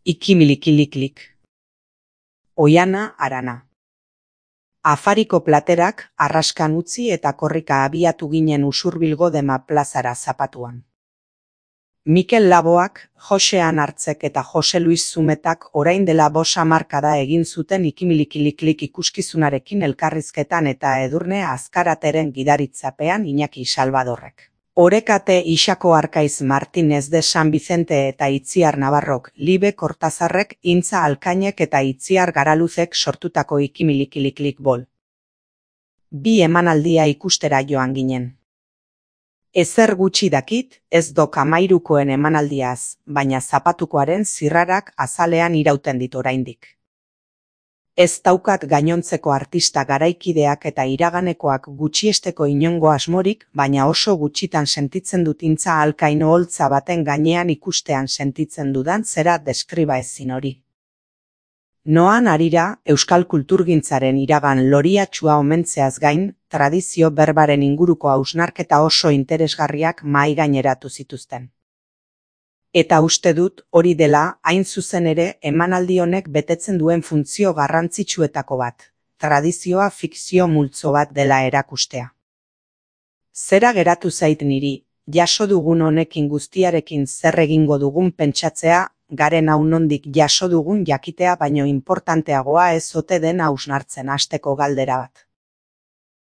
Ikimilikiliklik. Oiana Arana. Afariko platerak arraskan utzi eta korrika abiatu ginen Usurbilgo Dema plazara zapatuan. Mikel Laboak, Jose Anartzek eta Jose Luis Zumetak orain dela 5 hamarkada egin zuten Ikimilikiliklik ikuskizunarekin elkarrizketan eta Edurne Azkarateren gidaritzapean Iñaki Salvadorrek. Orekate Ixako Arkaiz Martinez de San Vicente eta Itziar Navarrok, Libe Kortazarrek, Intza Alkainek eta Itziar Garaluzek sortutako Ikimilikiliklik bol. Bi emanaldia ikustera joan ginen. Ezer gutxi dakit, ez dok 13koen emanaldiaz, baina zapatukoaren zirrarak azalean irauten dit oraindik. Ez daukat gainontzeko artista garaikideak eta iraganekoak gutxiesteko inongo asmorik, baina oso gutxitan sentitzen dut Intza Alkain oholtza baten gainean ikustean sentitzen dudan zera deskriba ezin hori. Noan harira, euskal kulturgintzaren iragan loriatxua omentzeaz gain, tradizio berbaren inguruko hausnarketa oso interesgarriak mahai gaineratu zituzten. Eta uste dut hori dela, hain zuzen ere, emanaldi honek betetzen duen funtzio garrantzitsuetako bat, tradizioa fikzio multzo bat dela erakustea. Zera geratu zait niri, jaso dugun honekin guztiarekin zer egingo dugun pentsatzea, garen hau nondik jaso dugun jakitea baino inportanteagoa ez ote den hausnartzen hasteko galdera bat.